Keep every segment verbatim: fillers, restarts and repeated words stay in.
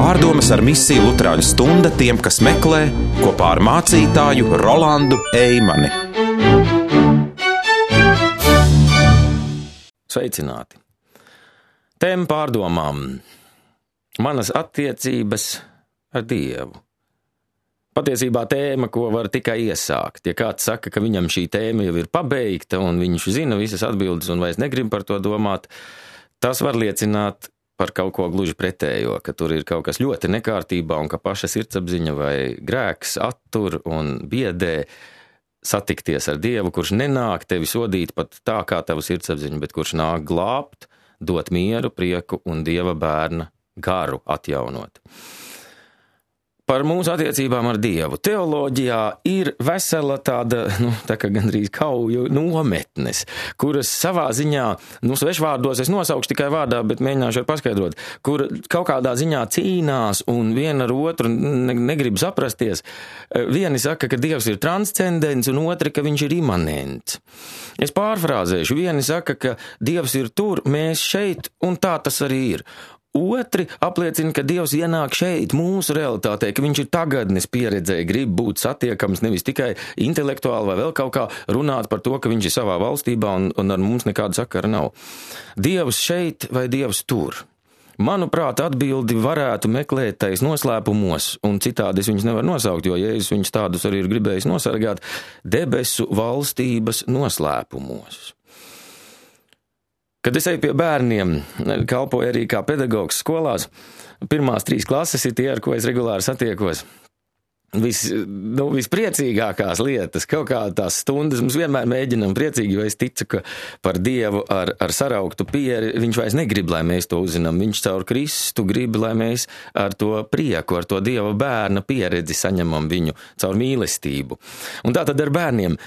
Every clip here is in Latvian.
Pārdomas ar misiju Luterāņu stunda tiem, kas meklē, kopā ar mācītāju Rolandu Eimani. Sveicināti! Tēma pārdomām. Manas attiecības ar Dievu. Patiesībā tēma, ko var tikai iesākt. Ja kāds saka, ka viņam šī tēma jau ir pabeigta un viņš zina visas atbildes un vairs negrib par to domāt, tas var liecināt par kaut ko gluži pretējo, ka tur ir kaut kas ļoti nekārtībā un ka paša sirdsapziņa vai grēks attur un biedē satikties ar Dievu, kurš nenāk tevi sodīt pat tā kā tavu sirdsapziņu, bet kurš nāk glābt, dot mieru, prieku un Dieva bērna garu atjaunot. Par mūsu attiecībām ar Dievu. Teoloģijā ir vesela tāda, nu, tā kā gandrīz kauju nometnes, kuras savā ziņā, nu, svešvārdos es nosaukšu tikai vārdā, bet mēģināšu ar paskaidrot, kur kaut kādā ziņā cīnās un viena ar otru ne, negrib saprasties. Vieni saka, ka Dievs ir transcendents un otri, ka viņš ir imanents. Es pārfrāzēšu. Vieni saka, ka Dievs ir tur, mēs šeit, un tā tas arī ir. Otri apliecina, ka Dievs ienāk šeit, mūsu realitātē, ka viņš ir tagadnes pieredzē, grib būt satiekams nevis tikai intelektuāli vai vēl kaut kā runāt par to, ka viņš ir savā valstībā un, un ar mums nekāda sakara nav. Dievs šeit vai Dievs tur? Manuprāt, atbildi varētu meklēt tais noslēpumos, un citādi es viņus nevaru nosaukt, jo Jēzus viņus tādus arī ir gribējis nosargāt, debesu valstības noslēpumos. Kad es eju pie bērniem, kalpoju arī kā pedagogs skolās, pirmās trīs klases ir tie, ar ko es regulāri satiekos. Vis, nu, vispriecīgākās lietas, kaut kā tās stundas, mums vienmēr mēģinam priecīgi, jo es ticu, ka par Dievu ar, ar sarauktu pieri viņš vairs negrib, lai mēs to uzzinām. Viņš caur Kristu grib, lai mēs ar to prieku, ar to Dieva bērna pieredzi saņemam viņu caur mīlestību. Un tā tad ar bērniem,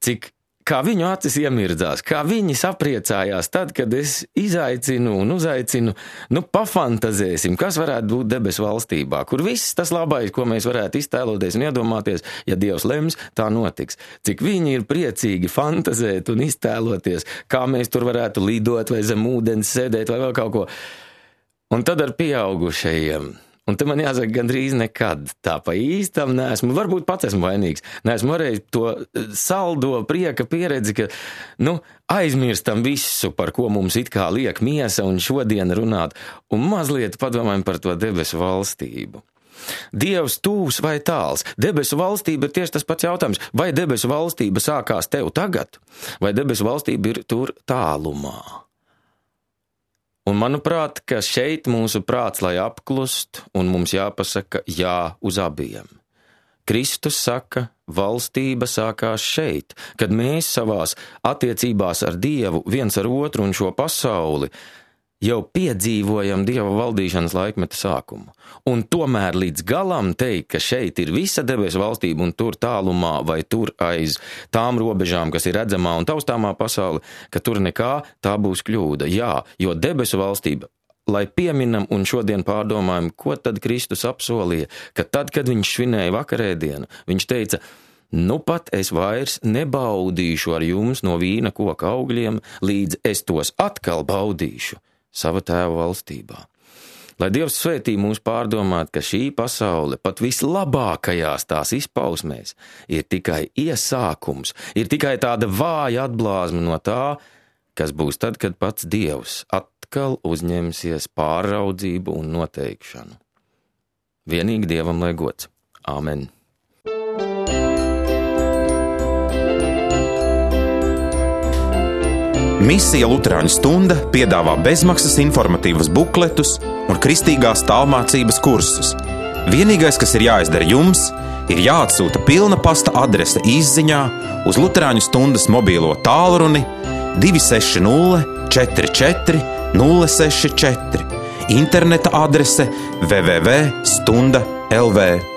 cik kā viņu acis iemirdzās, kā viņi sapriecājās tad, kad es izaicinu un uzaicinu, nu, pafantazēsim, kas varētu būt debesu valstībā, kur viss tas labais, ko mēs varētu iztēloties un iedomāties, ja Dievs lems, tā notiks. Cik viņi ir priecīgi fantazēt un iztēloties, kā mēs tur varētu lidot vai zem ūdens sēdēt vai vēl kaut ko. Un tad ar pieaugušajiem. Un te man jāsaka, gandrīz nekad tā pa īstam neesmu, varbūt pats esmu vainīgs, neesmu varējis to saldo prieka pieredzi, ka, nu, aizmirstam visu, par ko mums it kā liek miesa un šodien runāt, un mazliet padomājam par to debesu valstību. Dievs tūs vai tāls? Debesu valstība ir tieši tas pats jautājums. Vai debesu valstība sākās tev tagad, vai debesu valstība ir tur tālumā? Un manuprāt, ka šeit mūsu prāts, lai apklust, un mums jāpasaka jā uz abiem. Kristus saka, valstība sākās šeit, kad mēs savās attiecībās ar Dievu, viens ar otru un šo pasauli, jau piedzīvojam Dieva valdīšanas laikmeta sākumu. Un tomēr līdz galam teikt, ka šeit ir visa debesu valstība un tur tālumā vai tur aiz tām robežām, kas ir redzamā un taustāmā pasaule, ka tur nekā, tā būs kļūda. Jā, jo debesu valstība, lai pieminam un šodien pārdomājam, ko tad Kristus apsolīja, ka tad, kad viņš svinēja vakarēdienu, viņš teica, nu pat es vairs nebaudīšu ar jums no vīna koka augļiem, līdz es tos atkal baudīšu sava tēva valstībā. Lai Dievs svētī mūs pārdomāt, ka šī pasaule pat vislabākajās tās izpausmēs ir tikai iesākums, ir tikai tāda vāja atblāzma no tā, kas būs tad, kad pats Dievs atkal uzņemsies pāraudzību un noteikšanu. Vienīgi Dievam lai gods. Āmen. Misija Luterāņu stunda piedāvā bezmaksas informatīvus bukletus un kristīgās tālmācības kursus. Vienīgais, kas ir jāizdara jums, ir jāatsūta pilna pasta adrese izziņā uz Luterāņu stundas mobīlo tālruni divi seši nulle četri četri nulle seši četri, interneta adrese w w w punkt stunda punkt l v.